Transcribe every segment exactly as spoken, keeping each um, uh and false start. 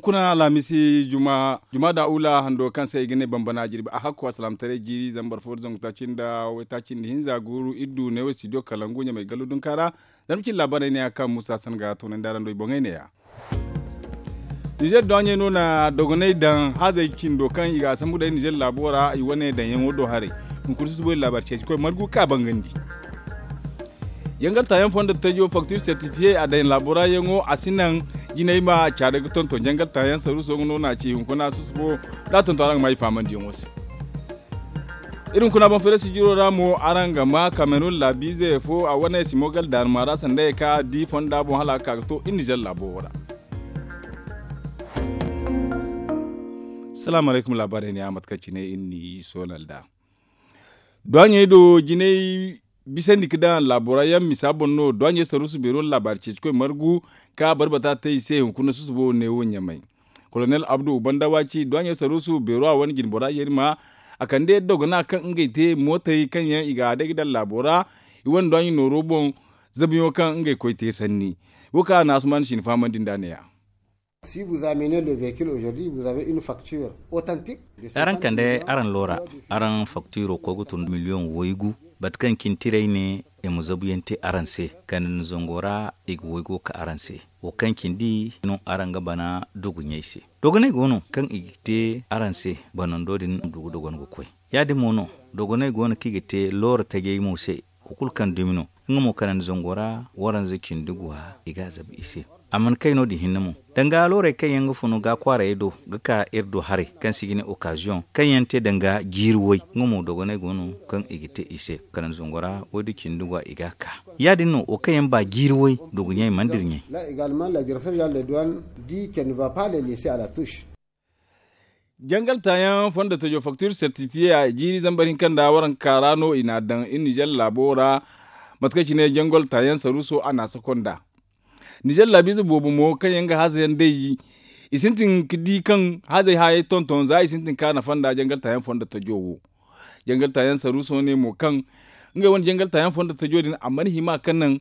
Kuna alhamisi juma da ula hando kaŋ se i ga ne bambana jirbi a hakku alsilaamataray jiiri zambar fo da zangu taaci nda waytaaci nda hinza guuru iri du neewo studio kalangu ɲamay gallu dunka ra. Zama cin laabaarey ne ya kaŋ muusa san ga toonandi araŋ do i boŋey ne ya. Nizer dooɲey no na dogonay daŋ hazey cindo kaŋ i ga a sambu day nizer laabo ra i wane daŋyaŋo do haray. Hunkuna susubo i laabaari ceeci koy margu ka bangandi. Jangal taayaŋ fondo tajo faktir sertifiye a daŋ laabo ra yaŋo a si naŋ jinay ma caada ga tonton jangal taayaŋ saruuso nga no na a ci hunkuna susubo da a tonton araŋ ga ma i faamandiyaŋo se. Iri hunkuna boŋ fere sijiro ra mo araŋ ga ma kamerun laabiize fo a wane simogal daarma ra sanda ye kaŋ a di fonda boŋ hala a ga ka ga to iri nizer laabo wo ra. Salaamu alaykum laabaarey ne a mate kaŋ cine iri n'i soolal nd'a. Duwaɲey do jinay bisandi ga daŋ laabo ra yaŋ misa boŋ no duwaɲey saruusu beero na laabaari ceeci koy margu ka barbata te i se hunkuna susubo neewo ɲamay. Kolonel abdu ubanda waaci duwaɲey saruusu beero a wane jinbora yerima a kande dogona kaŋ ngey te mootey kaŋ yaŋ i ga a day ga daŋ laabo ra. I wane duwaɲey nooro boŋ zabiyaŋo kaŋ ngey koy te sanni. Wo kaŋ a na asuman si ni fahamandi nd'a ne- ya. Si vous amenez le véhicule aujourd'hui vous avez une facture authentique. Araŋ kande araŋ loora araŋ faktiro koy ga tun miliyoŋ waygu bate kaŋ cine tiray ne i ma zabuyaŋ te araŋ se kande ni zango ra i ga waygo ka araŋ se. Wo kaŋ cindi no araŋ ga bana dogoney se. Dogoney go no kaŋ i ga te araŋ se banando din du ga dogon ga koy. Ya- din mo no dogoney go no kaŋ i ga te loora tajey mo se. Wo kulu kaŋ dumi no nga mo kanandi zango ra waranza cindi guwa i ga a zabu i se. A mana kay no- din hinne mo danga loorey kaŋ yaŋ ga funu ga kwaarayey do ga ka iri do haray kaŋ se i ga ne okaziyoŋ kaŋ yaŋ te danga jiiri way nga mo dogoney go no kaŋ i ga te i se kanandi zango ra waydu cindi guwa i ga a ka. Ya- din no wo kaŋ yaŋ ba jiiri way dogo ɲey mana dira ɲey. Là également la direction générale de douane dit qu'elle ne va pas les laisser à la touche. Jangal taayaŋ fondo tajo faktir sertifiye a jiiri zambar hinka nda waranka ra no i n'a daŋ iri nizer laabo ra. Mate kaŋ cine jangal taayaŋ saruuso a n'a sako nd'a. Nizer laabiize boobo mo kaŋ yaŋ ga haza yaŋ day i sintin ga di kaŋ hazey hayey tonton za i sintin ka nafa nda jangal taayaŋ fondo tajo wo. Jangal taayaŋ saruuso ne mo kaŋ ngey wane jangal taayaŋ fondo tajo din a mana hima ka naŋ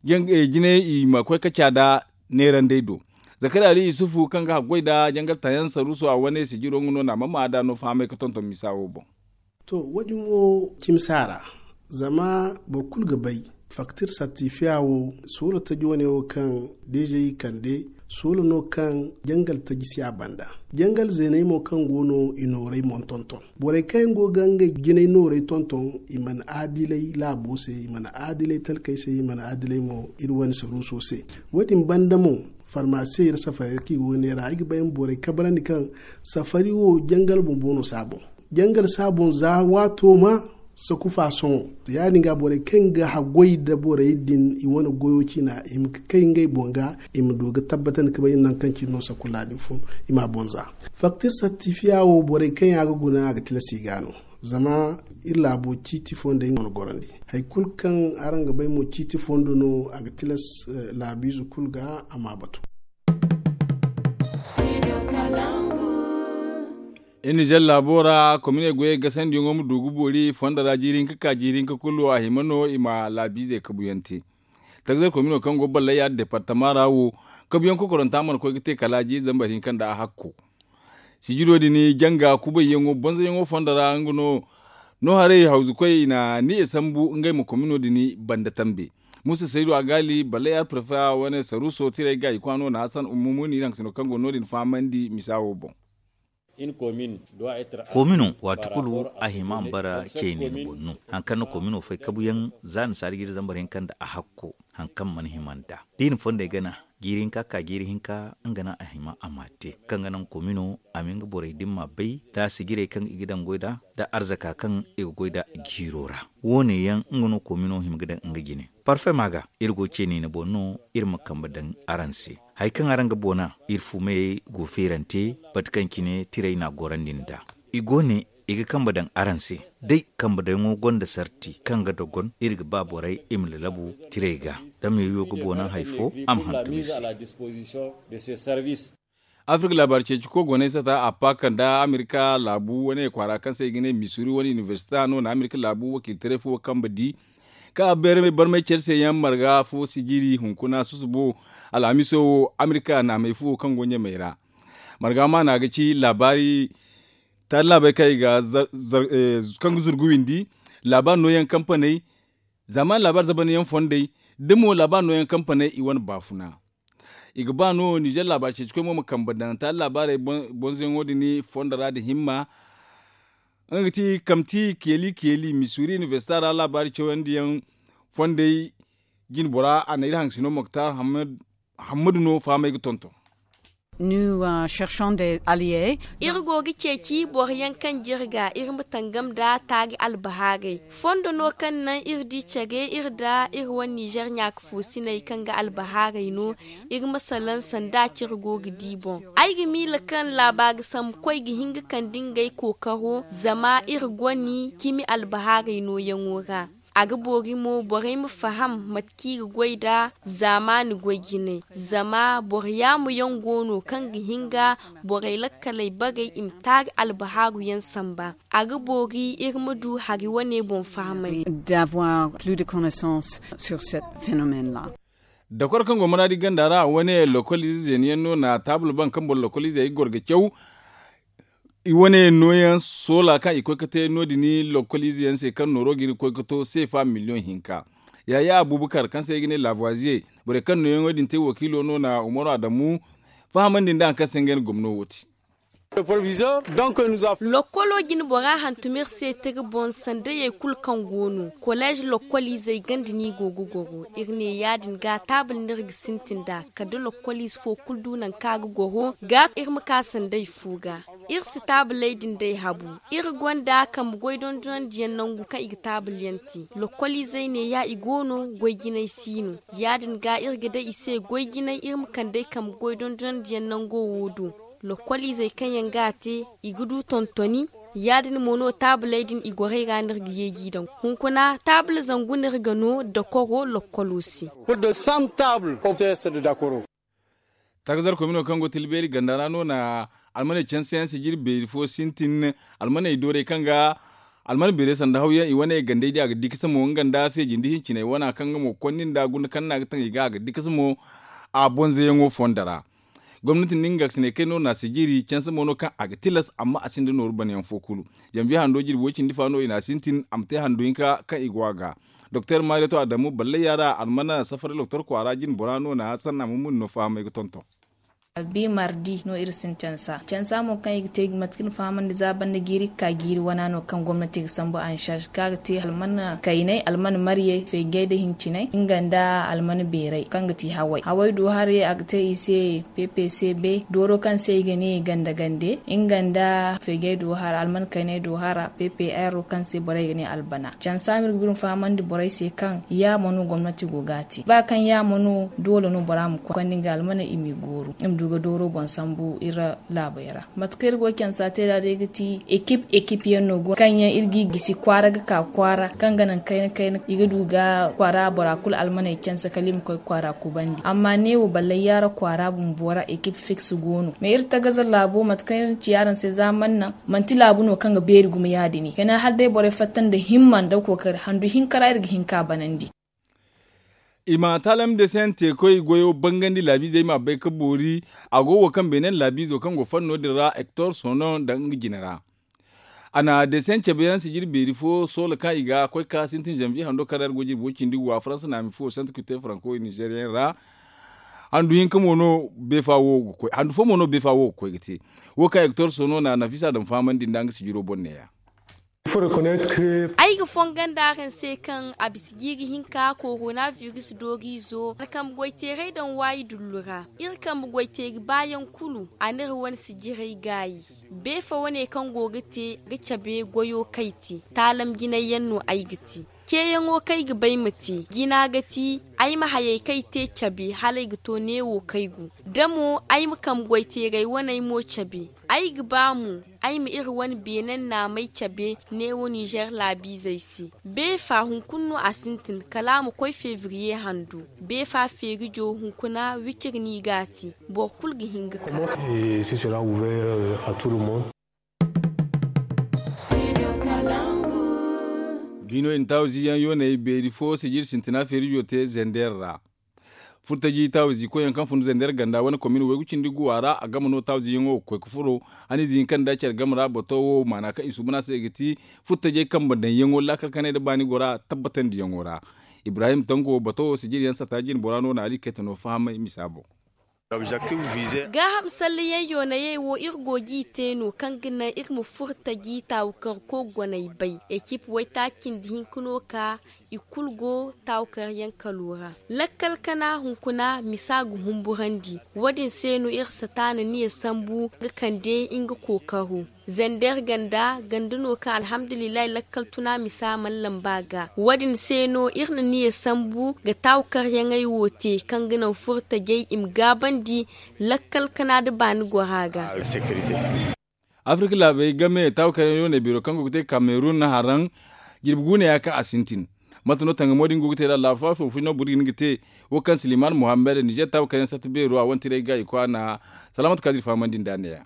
jinay i ma koy ka caada neerandey do. Zakari ali yusufu kaŋ ga haggoy nda jangal taayaŋ saruuso a wane sijiro nga no na a ma ma nd'a no fahamay ga tonton misa wo boŋ. To wo- din wo cimsa ra zama boro kulu ga bay faktir sartifiya wo soola taji wane wo kaŋ deeza i kande soola no kaŋ jangal taji si a banda. Jangal zeeney mo kaŋ go no i nooray mo tonton borey kaŋ yaŋ go ga ngey jinay nooray tonton i mana aadilay laabo se i mana aadilay talkey se i mana aadilay mo iri wane saruuso se. Wo- din banda mo farmasiyeŋ iri safari ra kaŋ i go ga neera ay ga bay ma borey kabrandi kaŋ safari wo jangal bumbo no si a boŋ. Jangal si a boŋ za waato ma sakufa sohõ. To ya- din ga borey kaŋ ga haggoy nda borey din i wane goyo ciina i ma kay ngey boŋ ga i ma du ga tabbatandi ga bay nangu kaŋ cine no sakulla din fun i m'a boŋ za. Faktir sartifiya wo borey kaŋ yaŋ a ga guna a ga tilas i ga no. Zama iri laabo ciiti fo nda ay nga wane gorandi hari kulu kaŋ araŋ ga bay mo ciiti fo nda no a ga tilas laabiize kulu ga a m'a batu. Iri nizer laabo ra kominey goyey gasandiyaŋo ma du ga boori fondo ra jiiri hinka ka jiiri hinka kulu a hima no i ma laabiizey kabuyaŋ te. Tagzey komino kaŋ go ballay yaadin departama ra wo kabuyaŋ kokoranta mana koy ga te kala jiiri zambar hinka nda a hakko. Sijiro din janga kubayyaŋo bonzoyaŋo fondo ra nga no no haray hawzukoy i na ni e sambu ngey ma komino din banda tambe. Musa saydu a gaali ballay yaar prefe wane saruuso tiray ga i kwaano na hasan ummumuni nangu sino kaŋ go no- din fahamandi misa wo boŋ. Komino waati kulu a hima ma bara cey ne ni boŋ no. Hari kaŋ na komino fay kabuyaŋ za ni saari jiiri zambar hinka nda a hakko hari kaŋ mana hima nd'a da i na fondey gana jiiri hinka ka jiiri hinka nga naŋ a hima a m'a te kaŋ ga naŋ komino a ma nga borey din m'a bay nda sijirey kaŋ i ga daŋ goy nd'a nda arzaka kaŋ i ga goy nd'a jiiro ra. Wo- ne yaŋ nga no komino hima ga daŋ nga jine parfema ga iri go ce niine boŋ no. Iri ma kambe daŋ araŋ se hari kaŋ araŋ ga boona iri fumayey go feerante bate kaŋ cine tiray n'a gorandi nd'a. I go ne i ga kambe daŋ araŋ se day kambe daŋo gonda sarti kaŋ ga dogon iri ga ba borey i ma lalabu tiray ga da meeriyo ga boona hari fo a ma hantum iri se. Afirka laabaari ceeci koy goney sata a paaka nda amerika laabu wane kwaara kaŋ se i ga ne misuri wane inibersita no na amerika laabu wakiilitaray fo kambe di kaŋ a barmay care se yaŋ marga fo sijiri hunkuna susubo alhamiso wo amerika naamey fo kaŋ go ɲamey ra. Marga maana ga ci laabaari taari laabaari kaŋ i ga kaŋ ga zurgu windi laabaari nooyaŋ kampaney, zaamaani laabaari zabanyaŋ fondey, da mo laabaari nooyaŋ kampaney i wane baafuna. I ga ba no ninzeer laabaari ceecikoy mo ma kambe daŋ taari laabaarey bonzoyaŋo din fondo ra nda himma. Nga ga ti kamti keeli keeli missouri inibersita ra laabaari cawandiyaŋ fondey jinbora a na iri haŋsino moktar hammadu no fahamey ga tonton. Iri go ga ceeci boro yaŋ kaŋ jirga iri ma tangam nda taari albahaarey fondo no kaŋ naŋ iri di care iri nda iri wane ninzeer ɲaaka foosiney kaŋ ga albahaarey no. Iri ma salaŋ sanda cire go ga di boŋ. Ay ga miila kaŋ laabaari sambu koy ga hin ga kande ngey kookaro zama iri gone cimi albahaarey nooyaŋo ra. A ga boori mo borey ma faham mate kaŋ i ga goy nd'a zaamaani goy jinay. Zama boro yaamu yaŋ go no kaŋ ga hin ga borey lakkaley bagay i ma taari albahaaru yaŋ samba. A ga boori iri ma du hari wane boŋ fahamay. Dokor kaŋ go maraadi ganda ra wane lokol ize zeeni yaŋ no na taabul baŋ kaŋ boro lokol izey ga goro ga caw. I wane nooyaŋ soola kaŋ i koy ga te no- din lokol ize yaŋ se kaŋ nooro ga iri koy ga to seefa miliyoŋ hinka. Yaaye abubakar kaŋ se i ga ne laabuwaziye borey kaŋ nooyaŋo din te wakiilo no na umaru adamu fahamandi nda hari kaŋ se ngey na gomno wo te. Lokkolo jine bora hantum iri se tira boŋ sandayey kulu kaŋ go no koleez lokkoliizey ganda no i go ga goro iri ne ya- din ga taabul no iri ga sintin nd'a kala da lokkoliize fo kulu du nangu kaŋ a ga goro ga iri ma ka sanday fo ga. Iri si taabuley din day habu. Iri gonda kambe goy dondonandiyaŋ nangu kaŋ i ga taabulyaŋ te. Lokkoliizey ne ya i go no goy jinay si no. Ya- din ga iri ga day i se goy jinay iri ma kand'ey kambe goy dondonandiyaŋ nango wo do. Lokkoliizey kaŋ yaŋ ga a te i ga du tontoni. Ya- din mo no taabuley din i gorey ra no iri ga yeeji daŋ. Hunkuna taabul zangu no iri ga no dakoro lokkolo se. Takazar komino kaŋ go tilbeeri ganda ra no na almaney canse yaŋ sijiri beeri fo sintin. Almaney doorey kaŋ ga alman beerey sanda hawyaŋ i wane gandey di a ga di kasa mo nga nda feeji nda hinciney wana kaŋ nga mo konda nda guna kaŋ no a ga taŋ i ga a ga di kasa mo. A bonzayaŋo fondo ra gomnati nda nga ga sinay kay no na sijiri canse mo no kaŋ a ga tilas amma a sinda nooru banayaŋ fo kulu. Janviye hando jirbi way cindi fa no i na a sintin a ma te hando hinka kaŋ i go a ga. Doktor mareto adamu ballay yaara almana safaray doktor kwaara jine bora no na sanna mummuni no fahamay ga tonton. Bi mardi no iri sintin cansa cansa mo kaŋ i ga te mate kaŋ iri fahamandi za banda jiiri ga ka jiiri wana no kaŋ gomnati ga sambu ansaasi kaŋ a ga te almana kaynay almana maryey feejey nda hincinay nga nda almana beeray kaŋ ga te haway haway du haray a ga te i se ppcb dooro kaŋ se i ga ne ganda gande nga nda feejey du hara almana kaynay du hara ppr kaŋ se borey ga ne albana cansa ma iri ga biri ma fahamandi borey se kaŋ yaamo no gomnati go ga a te ba kaŋ yaamo no doole no bora ma koy konda nga almana i m'i gooru i ma du ga dooro boŋ sambu iri laabey ra. Mate kaŋ iri go ga cansa te nd'a day ga ti ekip ekip yaŋ no go kaŋ yaŋ iri g'i gisi kwaara ga ka kwaara kaŋ ga naŋ kayna kayna i ga du ga kwaara bora kulu almaney canse kala i ma koy kwaara kubandi amma neewo ballay yaara kwaara bumbo ra ekip fiks go no mais iri tagaza laabo mate kaŋ iri na ci araŋ se za mana naŋ manti laabu no kaŋ ga beeri gumo ya- din kayna hala day borey fatta nda himma nda kookari handu hinka ra iri ga hin ka banandi. I ma taalam desen teekoy goyo bangandi laabiizey m'a bay ga boori. A go wo kaŋ beenen laabiizo kaŋ go fanno din ra hector sono nda nga jine ra. A na desen cabe yaŋ sijiri beeri fo soola kaŋ i ga koy ga ka sintin zanviye hando kaŋ ra iri go jirbi way cindi wa faransa naami fo santa kute faranko ninzeeriyaŋ ra. Handu hinka mo no beefa wo ga koy handu fo mo no beefa wo ga koy ga te. Wo kaŋ hector sono na nafisa daŋ fahamandi nda nga sijiro boŋ neeya. Ay ga fongan da araŋ se kaŋ a bisa jiiri hinka korona virus dooriizo alkambe goyteeray daŋ waayi dullu ra. Iri kambe goyteeri baayaŋ kulu a n'iri wane sijiray gaayi. Beefa wane kaŋ go ga te ga cabe goyo kay te taalam jinay yaŋ no ay ga te. Ceeyaŋo kaŋ ay ga bay ma te jina ga ti ay ma hayey kaŋ ay te cabe hala ay ga to neewo kaŋ ay gu. Da mo ay ma kambe goyteeray waney mo cabe. Ay ga ba mo ay ma iri wane beenen naamey cabe neewo ninzeer laabiizey se. Beefa hunkuna no a sintin kala a ma koy febriye hando. Beefa feerijo hunkuna wiciri no i g'a te. Boro kulu ga hin ga ka. Biino intaawo ziiyaŋ yooney beeri fo sijiri sintina feerijo te zender ra. Furtaji taawizi koyyaŋ kaŋ fun zender ganda wane komin waygu cindi guwa ra a game no taawizi yaŋo ga koy ga furo. Haniize hinka nda care game ra bato wo maana kaŋ i suuban a se ga ti furtajey kambe daŋyaŋo laakal kanay nda baani gora tabbatandi yaŋo ra. Ibrahim tango bato wo sijiri yaŋ sata jine bora no na ali kayta no fahamay misa boŋ. Gaaham sallayaŋ yoonayey wo iri go g'i te no kaŋ ga naŋ iri ma furtaji taawu kaŋ ga koy goney bay ekip waytaaci nda hinka no ka i kulu go taawu kaŋ yaŋ kalo ra. Lakkal kana hunkuna misa ga humburandi. Wo- din se no iri sata na niya sambu ga kande nga kookaro. Zender ganda ganda no kaŋ alhamdulillahi lakkal tuna misa mana lamba ga. Wo- din se no iri na niya sambu ga taawu kaŋ yaŋey wo te kaŋ ga naŋ furtajey i ma gaabandi lakkal kana nda baani gora ga. Afirka laabey game taawu kaŋ yaŋ no ne biro kaŋ go ga te kamerun haraŋ jirbi guuna ya kaŋ a sintin. Mate no tangamo din go ga te nd'a laabu faafaw fo no boro ga hin ga te wo kaŋ siliman muhammad nizer taawu kaŋ yaŋ satta beero a wane tiray ga i kwaana. Salaamatu kaadir fahamandi nd'a ne- ya.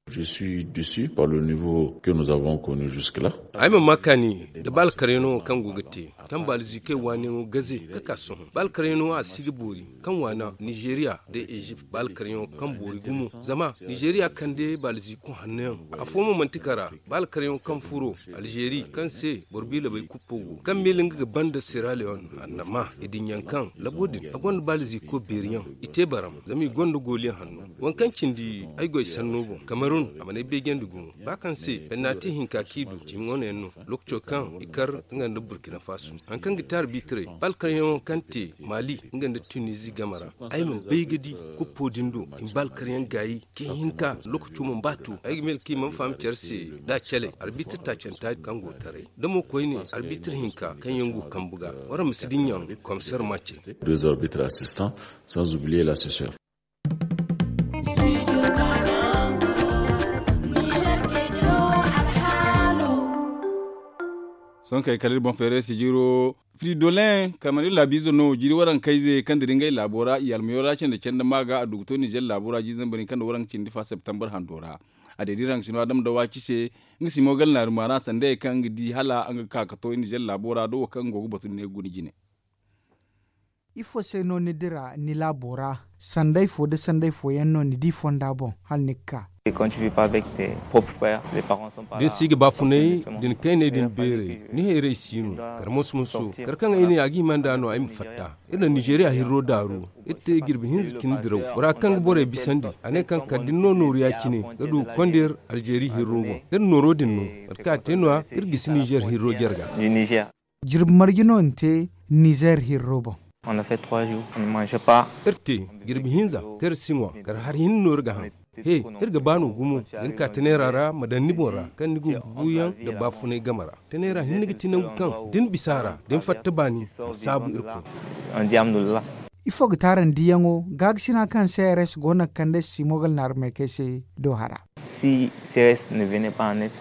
Je suis déçu par le niveau que nous avons connu jusque là. Ay ma ma kaani nda baalkaryaŋo kaŋ go ga te kaŋ baaliziikey waaniyaŋo gaze ga ka sohõ baalkaryaŋo a si ga boori kaŋ waana nizeeriya nda ezipt baalkaryaŋo kaŋ boori gumo. Zama nizeeriya kande baaliziiko hanno yaŋ afo mo manti kara. Baalkaryaŋo kaŋ furo alzeeri kaŋ se boro biilabey kuppo go kaŋ miila nga ga banda sera leon annama i din yaŋ kaŋ labo din a gonda baaliziiko beeri yaŋ i te baram zama i gonda gooliyaŋ hanno. Waŋ kaŋ cindi ay goy sanno boŋ kamerun a mana ay beejandi gumo ba kaŋ se bannati hinka kaŋ i du cimi wane yaŋ no. Lookaco kaŋ i kar nga nda burkina faso hari kaŋ ga te arbitiray baalkaryaŋo kaŋ te mali nga nda tunizi game ra. Ay ma bay ga di kuppo din do i ma baalkaryaŋ gaayi kaŋ hinka lookaco mana ba to ay ga meel kaŋ i mana faham care se da a cale arbitr taacanta kaŋ go taray da mo koyne arbitr hinka kaŋ yaŋ go kambe ga waraŋ ma si dinya komisar mace. Deux arbitres assistants, sans oublier l'assesseur. Sohõ kay kala iri boŋ feeray sijiro fridolin kamar iri laabiizo no jiiri warankayze kaŋ dira ngey laabo ra i almayo ra canda canda ma ga a du ga to nizer laabo ra jiiri zambar hinka nda waranka cindi fa septembar hando ra. A day da iri hangasino adama dawaci se nga simo galnaari maana sanda ye kaŋ nga di hala nga ga ka ga to nizer laabo ra da wo kaŋ nga go ga batu ni ne ga guna jine. Ifo se no ni dira ni laabo ra? Sanday fo nda sanday fooyaŋ no ni di fonda boŋ hala ni ga ka? Da ni si ga baafunay da ni kayney din beeray ni hayrey si no kar moso moso kar kaŋ ay ne a ga hima nd'a no ay ma fatta. Iri na nizeeriya hirro daaru iri te jirbi hinza cine diraw bora kaŋ ga borey bisandi a ne kaŋ kala da ni no nooru ya-cine ga du ga konda iri alzeeri hirro boŋ. Iri nooro din no mate kaŋ a te no- ya iri gisi nizeer hirro jarga. Jirbi marje no ni te nizeer hirro boŋ? Iri te jirbi hinza kaŋ iri si ŋwa kala hari hinne no iri ga haŋ. He iri ga ba no gumo da ni ka taneera ra ma daŋ ni boŋ ra kaŋ ni go ga buuyaŋ nda baafunay game ra. Taneera hinne ga ti nangu kaŋ da ni bisa a ra da ni fatta baani ma saabu irkoy. Ifo ga taarandi yaŋo gaakasina kaŋ crs go no ga kande simogal naarumey kay se do hara? Si crs ne vene pas net.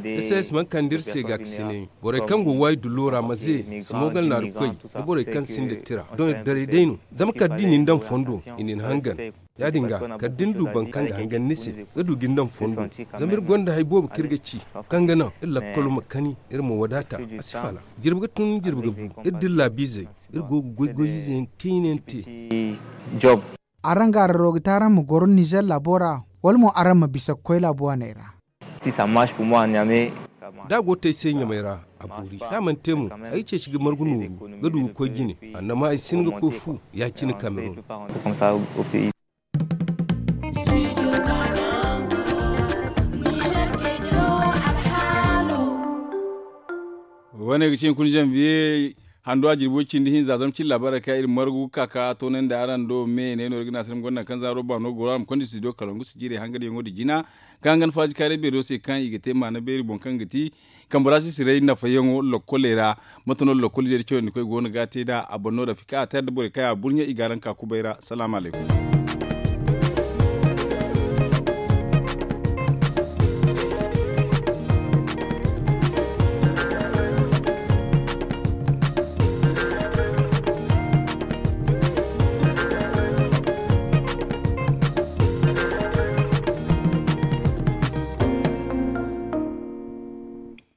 Crs mana kande iri se gaakasinay borey kaŋ go waayi dullo ra ma ze simogal naaru koy nda borey kaŋ sinda tira doŋ iri daray day no. Zama kala da i na ni daŋ fondo i na ni hangan. Ya- din ga kala da ni du boro kaŋ ga hangan ni se ga du ga ni daŋ fondo. Zama iri gonda hari boobo kaŋ iri ga ci kaŋ ga naŋ iri lakkalo ma kani iri ma wadaata a si fala. Jirbi ga tun jirbi ga bu iri da iri laabiizey iri go ga goy goy ize yaŋ kayna yaŋ te. Araŋ ga araro ga te araŋ ma goro nizer laabo ra wala mo araŋ ma bisa ga koy laabu waaney ra? Da a go te ay se ɲamay ra a boori da a mana te mo ay ga ceeci ga margu nooru ga du ga koy jine. Annama ay si hin ga koy fu ya-cine kamerun. Wane ga cine kuna zanviye hando a jirbo cindi hinza zama cine laabaarey kaŋ iri margu ga ka ka toonandi araŋ do me ne no iri ga ne a se iri ma gonda naŋ kaŋ zaaro baano goro a ma konda studio kalangu sijirey hangadyaŋo nda jina kaŋ ga nafa jikaaray beero se kaŋ i ga te maana beeri boŋ kaŋ ga ti kambe ra sisiray nafayaŋo lokkoley ra. Mate no lokkol zeeri cawandi koy go no ga a te nd'a a boŋ no rafika a te nda borey kaŋ a burɲe i ga araŋ ka kubay ra salaamu alaykum.